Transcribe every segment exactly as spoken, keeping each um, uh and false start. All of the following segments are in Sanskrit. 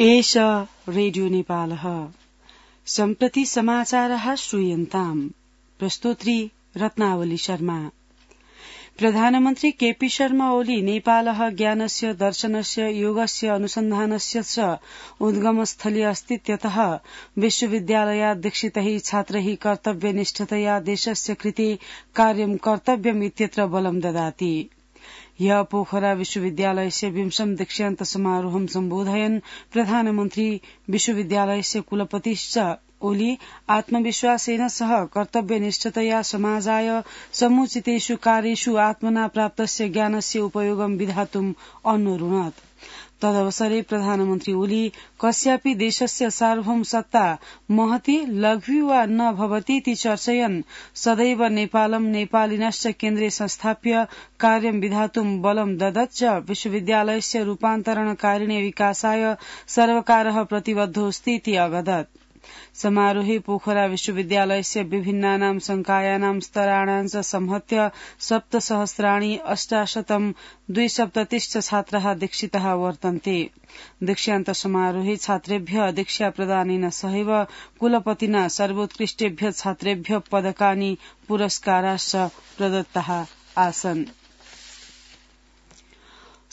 एष रेडियो नेपालः सम्प्रति समाचारः श्रूयन्ताम् प्रस्तोत्री रत्नावली शर्मा। प्रधानमन्त्री केपी शर्मा ओली नेपालः ज्ञानस्य दर्शनस्य योगस्य अनुसन्धानस्य च उद्गमस्थली अस्तीत्यतः विश्वविद्यालयाध्यक्षितैः छात्रैः कर्तव्यनिष्ठतया देशस्य कृते कार्यं कर्तव्यम् इत्यत्र बलं ददाति। ह्यः पोखरा विश्वविद्यालयस्य विंशम दीक्षान्त समारोहं सम्बोधयन् प्रधानमन्त्री विश्वविद्यालयस्य कुलपतिश्च ओली आत्मविश्वासेन सह कर्तव्यनिष्ठतया समाजाय समुचितेषु कार्येषु आत्मना प्राप्तस्य ज्ञानस्य उपयोगं विधातुम् अनुरुणत्। तदवसरे प्रधानमन्त्री ओली कस्यापि देशस्य सार्वभौम सत्ता महति लघु वा न भवतीति चर्चयन् सदैव नेपालं नेपालिनश्च केन्द्रे संस्थाप्य कार्यं विधातुं बलं ददत् च विश्वविद्यालयस्य रूपान्तरणकारिणे विकासाय सर्वकारः प्रतिबद्धोऽस्ति इति अवदत्। समारोहे पोखरा विश्वविद्यालयस्य विभिन्नानां संकायानां स्तराणां च संहत्य सप्तसहस्राणि अष्टाशतं द्विसप्ततिश्च छात्राः दीक्षिताः वर्तन्ते। दीक्षान्त समारोहे छात्रेभ्यः दीक्षा प्रदानेन सहैव कुलपतिना सर्वोत्कृष्टेभ्यः छात्रेभ्यः पदकानि पुरस्काराश्च प्रदत्ताः आसन्।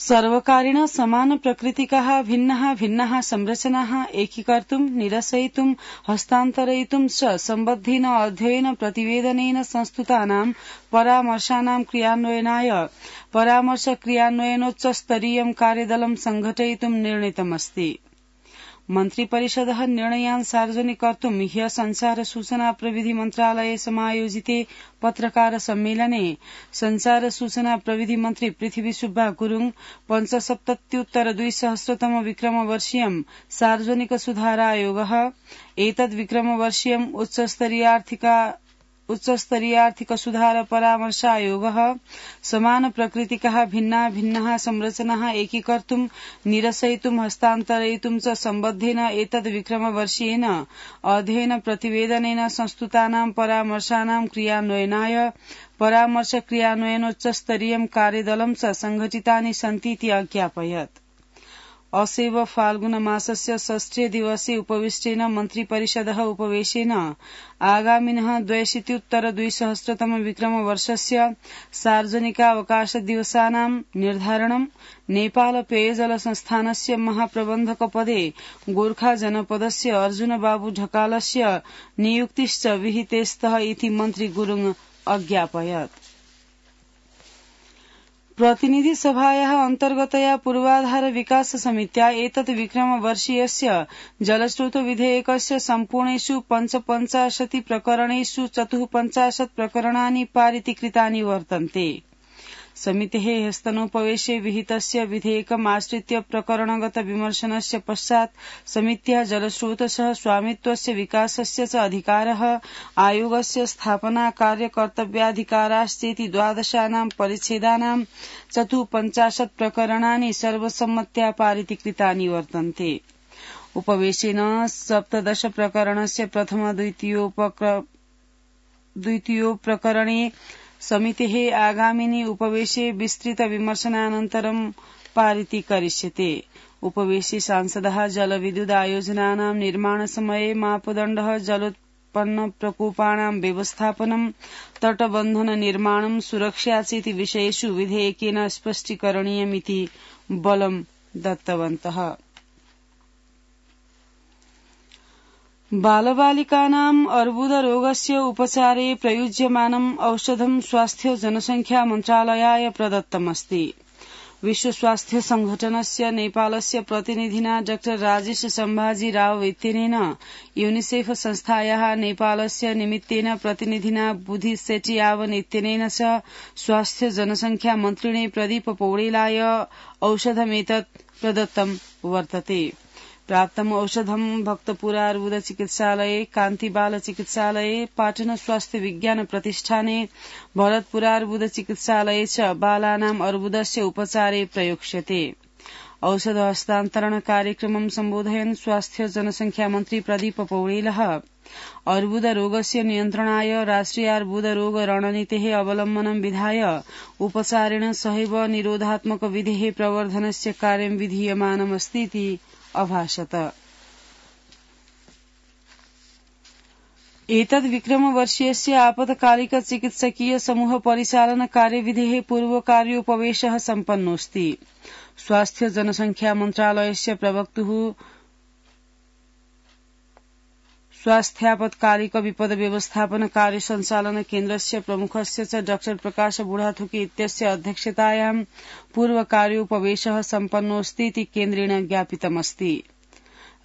सर्वकारेण समान प्रकृतिकाः भिन्नाः भिन्नाः संरचनाः एकीकर्तुं निरसयितुं हस्तान्तरयितुं च सम्बद्धेन अध्ययन प्रतिवेदनेन संस्तुतानां परामर्शानां क्रियान्वयनाय परामर्श क्रियान्वयनोच्चस्तरीयं कार्यदलं संघटयितुं निर्णीतमस्ति। मन्त्रिपरिषदः निर्णयान् सार्वजनिकर्तुं ह्यः संचार सूचना प्रविधि मन्त्रालये समायोजिते पत्रकार सम्मेलने संचार सूचना प्रविधि मन्त्री पृथ्वी सुब्बा गुरुङ पञ्चसप्तत्युत्तर द्विसहस्रतम विक्रमवर्षीयं सार्वजनिक सुधारायोगः एतद् विक्रमवर्षीयं उच्चस्तरीयार्थिका उच्चस्तरीयार्थिक सुधार परामर्शायोगः समान प्रकृतिकाः भिन्ना भिन्नाः संरचनाः एकीकर्तुं निरसयितुं हस्तान्तरयितुं च सम्बद्धेन एतद् विक्रमवर्षीयेन अध्ययन प्रतिवेदनेन संस्तुतानां परामर्शानां क्रियान्वयनाय परामर्श क्रियान्वयनोच्चस्तरीयं कार्यदलं च संघटितानि सन्तीति अज्ञापयत्। असेव फाल्गुन मासस्य षष्ठे दिवसे उपविष्टेन मन्त्रिपरिषदः उपवेशेन आगामिनः द्व्यशीत्युत्तर द्विसहस्रतम विक्रमवर्षस्य सार्वजनिकावकाशदिवसानां निर्धारणं नेपाल पेयजल संस्थानस्य महाप्रबन्धकपदे गोर्खा जनपदस्य अर्जुन बाबू ढकालस्य नियुक्तिश्च विहितेस्तः इति मन्त्री गुरुङ अज्ञापयत्। प्रतिनिधि सभायाः अन्तर्गतया पूर्वाधार विकास समित्या एतत् विक्रमवर्षीयस्य जलस्रोत विधेयकस्य सम्पूर्णेषु पञ्चपञ्चाशति प्रकरणेषु चतुःपञ्चाशत् प्रकरणानि पारितीकृतानि वर्तन्ते। समितेः ह्यस्तनोपवेशे विहितस्य विधेयकम् आश्रित्य प्रकरणगत विमर्शनस्य पश्चात् समित्याः जलस्रोतसः स्वामित्वस्य विकासस्य च अधिकारः आयोगस्य स्थापना कार्यकर्तव्याधिकाराश्चेति द्वादशानां परिच्छेदानां चतुःपञ्चाशत् प्रकरणानि सर्वसम्मत्या पारितीकृतानि वर्तन्ते। उपवेशेन सप्तदश प्रकरणस्य प्रथम द्वितीयो प्रकरणे समितेः आगामिनि उपवेशे विस्तृत विमर्शनानन्तरं पारितीकरिष्यते। उपवेशे सांसदः जलविद्युत् आयोजनानां निर्माणसमये मापदण्डः जलोत्पन्न प्रकोपाणां व्यवस्थापनं तटबन्धन निर्माणं सुरक्षा चेति विषयेषु विधेयकेन स्पष्टीकरणीयमिति बलं दत्तवन्तः। बालबालिकानाम् अर्बुदरोगस्य उपचारे प्रयुज्यमानम् औषधं स्वास्थ्य जनसंख्या मन्त्रालयाय प्रदत्तमस्ति। विश्व स्वास्थ्य संघटनस्य नेपालस्य प्रतिनिधिना डॉ राजेश सम्भाजी राव इत्यनेन यूनिसेफ संस्थायाः नेपालस्य निमित्तेन प्रतिनिधिना बुधि सेटियावन इत्यनेन च स्वास्थ्य जनसंख्या मन्त्रिणे प्रदीप पौडेलाय औषधमेतत् प्रदत्तं वर्तते। प्राप्तम् औषधं भक्तपुरा अर्बुद चिकित्सालये कान्तिबाल चिकित्सालये पाटन स्वास्थ्य विज्ञान प्रतिष्ठाने भरतपुरा अर्बुद चिकित्सालये च बालानाम् अर्बुदस्य उपचारे प्रयोक्ष्यते। औषध हस्तान्तरण कार्यक्रमं सम्बोधयन् स्वास्थ्य जनसंख्या मन्त्री प्रदीप पौडेलः अर्बुद रोगस्य नियन्त्रणाय राष्ट्रिय अर्बुद रोग रणनीतेः अवलम्बनं विधाय उपचारेण सहैव निरोधात्मक विधेः प्रवर्धनस्य कार्यं विधीयमानमस्ति इति अभाषत। एतद् विक्रमवर्षीयस्य आपत्कालिक चिकित्सकीय समूह परिचालन कार्यविधेः पूर्वकार्योपवेशः सम्पन्नोऽस्ति। स्वास्थ्य जनसंख्या मन्त्रालयस्य प्रवक्तुः स्वास्थ्यापत्कालिक विपद व्यवस्थापन कार्य संचालन केन्द्रस्य प्रमुखस्य च डॉ प्रकाश बुढाथुकी इत्यस्य अध्यक्षतायां पूर्वकार्योपवेशः सम्पन्नोऽस्ति इति केन्द्रेण ज्ञापितमस्ति।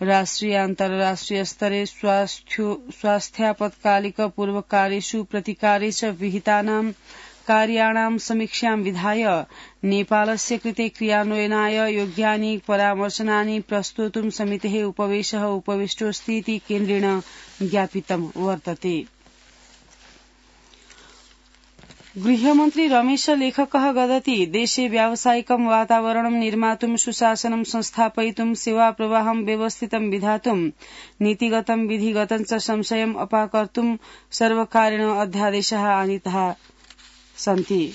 राष्ट्रिय अन्ताराष्ट्रिय स्तरे स्वास्थ्यापत्कालिक पूर्वकार्येषु प्रतिकारे च विहितानां कार्याणां समीक्षां विधाय नेपालस्य कृते क्रियान्वयनाय योग्यानि परामर्शनानि प्रस्तोतुं समितेः उपवेशः उपविष्टोऽस्ति इति केन्द्रेण ज्ञापितं वर्तते। गृहमन्त्री रमेश लेखकः वदति देशे व्यावसायिकं वातावरणं निर्मातुं सुशासनं संस्थापयितुं सेवाप्रवाहं व्यवस्थितं विधातुं नीतिगतं विधिगतं च संशयम् अपाकर्तुं सर्वकारेण अध्यादेशाः आनीताः सन्ति।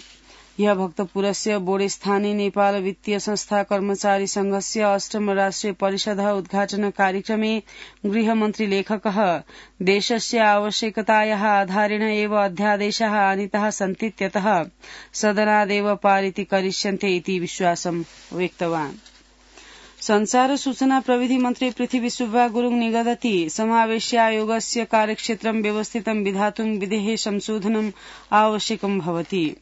यह भक्तपुरस्य बोडेस्थाने नेपाल वित्तीय संस्था कर्मचारी संघस्य अष्टम राष्ट्रिय परिषदः उद्घाटन कार्यक्रमे गृहमन्त्री लेखकः देशस्य आवश्यकतायाः आधारेण एव अध्यादेशाः आनीताः सन्तीत्यतः सदनादेव पारितीकरिष्यन्ते इति विश्वासं व्यक्तवान्। संचार सूचना प्रविधि मन्त्री पृथ्वी सुब्बा गुरुङ निगदति समावेशायोगस्य कार्यक्षेत्रं व्यवस्थितं विधातुं विधेः संशोधनम् आवश्यकं भवति।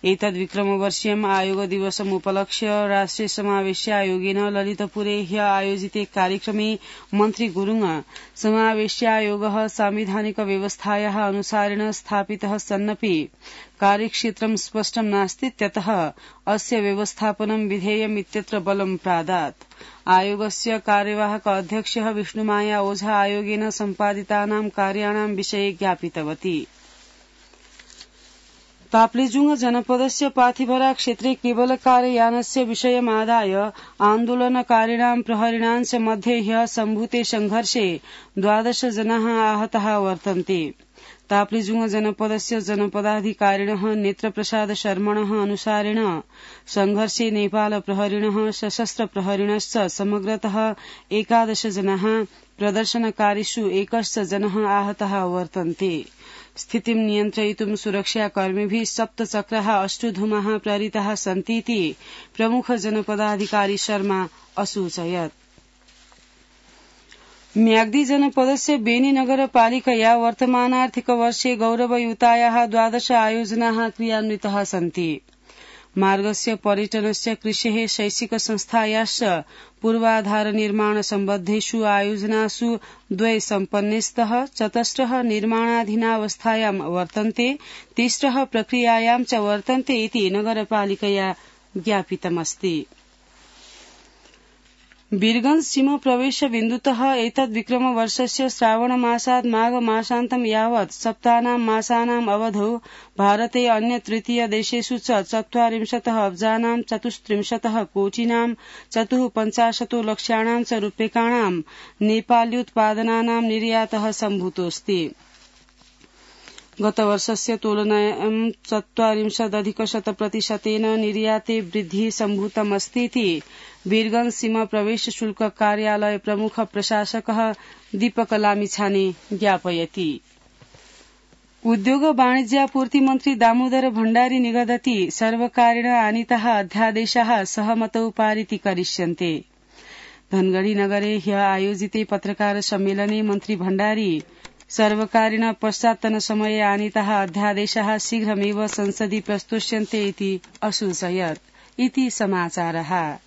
एतद् विक्रमवर्षीयम् आयोग दिवसम् उपलक्ष्य राष्ट्रिय समावेशायोगेन ललितपुरे ह्य आयोजिते कार्यक्रमे मन्त्री गुरुङ समावेशायोगः सांविधानिक व्यवस्थायाः अनुसारेण स्थापितः सन्नपि कार्यक्षेत्रं स्पष्टं नास्तीत्यतः अस्य व्यवस्थापनं विधेयम् इत्यत्र बलं प्रादात्। आयोगस्य कार्यवाहक अध्यक्षः विष्णुमाया ओझा आयोगेन सम्पादितानां कार्याणां विषये ज्ञापितवती। ताप्लेजुङ जनपदस्य पाथिभरा क्षेत्रे केवलकारयानस्य विषयमादाय आन्दोलनकारिणां प्रहरिणां च मध्ये ह्यः सम्भूते संघर्षे द्वादश जनाः आहताः वर्तन्ते। ताप्लेजुङ जनपदस्य जनपदाधिकारिणः नेत्रप्रसाद शर्मणः अनुसारेण संघर्षे नेपाल प्रहरिणः सशस्त्र प्रहरिणश्च समग्रतः एकादश जनाः प्रदर्शनकारीषु एकश्च जनः आहताः वर्तन्ते। स्थितिं नियन्त्रयितुं सुरक्षाकर्मिभिः सप्तचक्राः अष्टुधूमाः प्रेरिताः सन्तीति प्रमुख जनपदाधिकारी शर्मा असूचयत्। म्याग्दी जनपदस्य बेनी नगरपालिकया वर्तमानार्थिकवर्षे गौरवयुतायाः द्वादश आयोजनाः क्रियान्विताः सन्ति। मार्गस्य पर्यटनस्य कृषेः शैक्षिक संस्थायाश्च पूर्वाधार निर्माण सम्बद्धेषु आयोजनासु द्वे सम्पन्नेस्तः चतस्रः निर्माणाधीनावस्थायां वर्तन्ते तिस्रः प्रक्रियायां च वर्तन्ते इति नगरपालिकया ज्ञापितमस्ति। वीरगंज सीमा प्रवेश बिन्दुतः एतद् विक्रमवर्षस्य श्रावणमासात् माघमासान्तं यावत् सप्तानां मासानाम् अवधौ भारते अन्य तृतीय देशेषु च चत्वारिंशतः अब्जानां चतुस्त्रिंशतः कोटिनां चतुः पञ्चाशतो लक्ष्याणां च रूप्यकाणां नेपाल्युत्पादनानां निर्यातः सम्भूतोऽस्ति। गतवर्षस्य तुलनायां चत्वारिंशदधिकशतप्रतिशतेन निर्याते वृद्धिः सम्भूतमस्तीति वीरगंज सीमा प्रवेश शुल्क कार्यालय प्रमुख प्रशासकः दीपक लामिछाने ज्ञापयति। उद्योग वाणिज्यापूर्ति मन्त्री दामोदर भण्डारी निगदति सर्वकारेण आनीताः अध्यादेशाः सहमतौ पारितीकरिष्यन्ते। धनगढ़ी नगरे ह्यः आयोजिते पत्रकार सम्मेलने मन्त्री भण्डारी सर्वकारेण पश्चात्तन समये आनीताः अध्यादेशाः शीघ्रमेव संसदि प्रस्तोष्यन्ते इति असूचयत्। इति समाचारः।